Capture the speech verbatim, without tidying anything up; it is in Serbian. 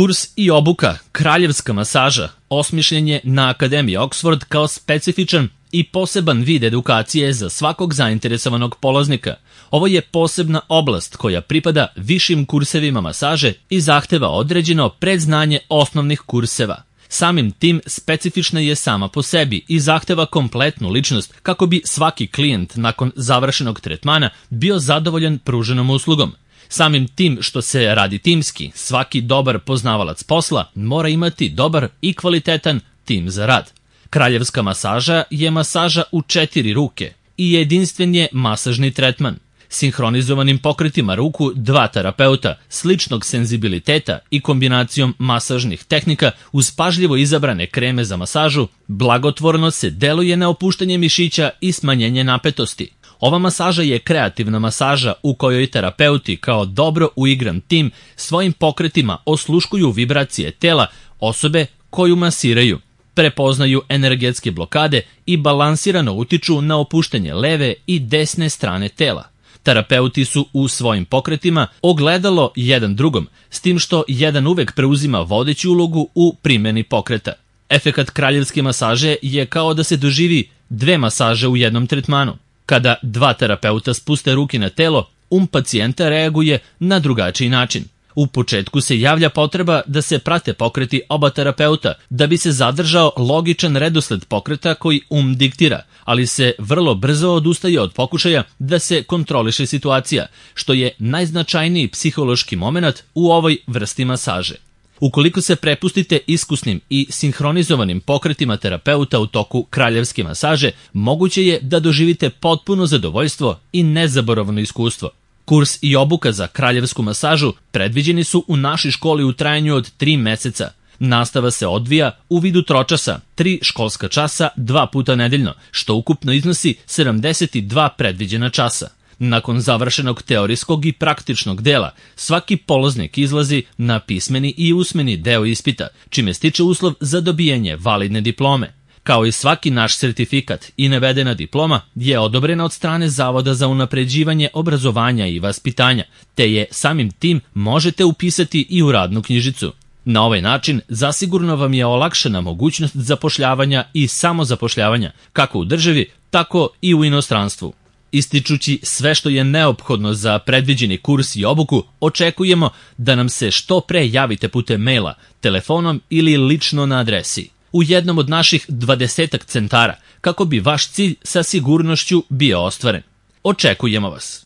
Kurs i obuka kraljevska masaža osmišljen je na Akademiji Oxford kao specifičan i poseban vid edukacije za svakog zainteresovanog polaznika. Ovo je posebna oblast koja pripada višim kursevima masaže i zahteva određeno predznanje osnovnih kurseva. Samim tim specifična je sama po sebi i zahteva kompletnu ličnost kako bi svaki klijent nakon završenog tretmana bio zadovoljan pruženom uslugom. Samim tim što se radi timski, svaki dobar poznavalac posla mora imati dobar i kvalitetan tim za rad. Kraljevska masaža je masaža u četiri ruke i jedinstven je masažni tretman. Sinhronizovanim pokretima ruku dva terapeuta, sličnog senzibiliteta i kombinacijom masažnih tehnika uz pažljivo izabrane kreme za masažu, blagotvorno se deluje na opuštanje mišića i smanjenje napetosti. Ova masaža je kreativna masaža u kojoj terapeuti kao dobro uigran tim svojim pokretima osluškuju vibracije tela osobe koju masiraju, prepoznaju energetske blokade i balansirano utiču na opuštanje leve i desne strane tela. Terapeuti su u svojim pokretima ogledalo jedan drugom, s tim što jedan uvek preuzima vodeću ulogu u primjeni pokreta. Efekat kraljevske masaže je kao da se doživi dve masaže u jednom tretmanu. Kada dva terapeuta spuste ruke na telo, um pacijenta reaguje na drugačiji način. U početku se javlja potreba da se prate pokreti oba terapeuta, da bi se zadržao logičan redosled pokreta koji um diktira, ali se vrlo brzo odustaje od pokušaja da se kontroliše situacija, što je najznačajniji psihološki moment u ovoj vrsti masaže. Ukoliko se prepustite iskusnim i sinhronizovanim pokretima terapeuta u toku kraljevske masaže, moguće je da doživite potpuno zadovoljstvo i nezaboravno iskustvo. Kurs i obuka za kraljevsku masažu predviđeni su u našoj školi u trajanju od tri meseca. Nastava se odvija u vidu tročasa, tri školska časa, dva puta nedeljno, što ukupno iznosi sedamdeset dva predviđena časa. Nakon završenog teorijskog i praktičnog dela, svaki polaznik izlazi na pismeni i usmeni deo ispita, čime stiče uslov za dobijanje validne diplome. Kao i svaki naš sertifikat i navedena diploma je odobrena od strane Zavoda za unapređivanje obrazovanja i vaspitanja, te je samim tim možete upisati i u radnu knjižicu. Na ovaj način zasigurno vam je olakšana mogućnost zapošljavanja i samozapošljavanja, kako u državi, tako i u inostranstvu. Ističući sve što je neophodno za predviđeni kurs i obuku, očekujemo da nam se što pre javite putem maila, telefonom ili lično na adresi u jednom od naših dvadesetak centara, kako bi vaš cilj sa sigurnošću bio ostvaren. Očekujemo vas!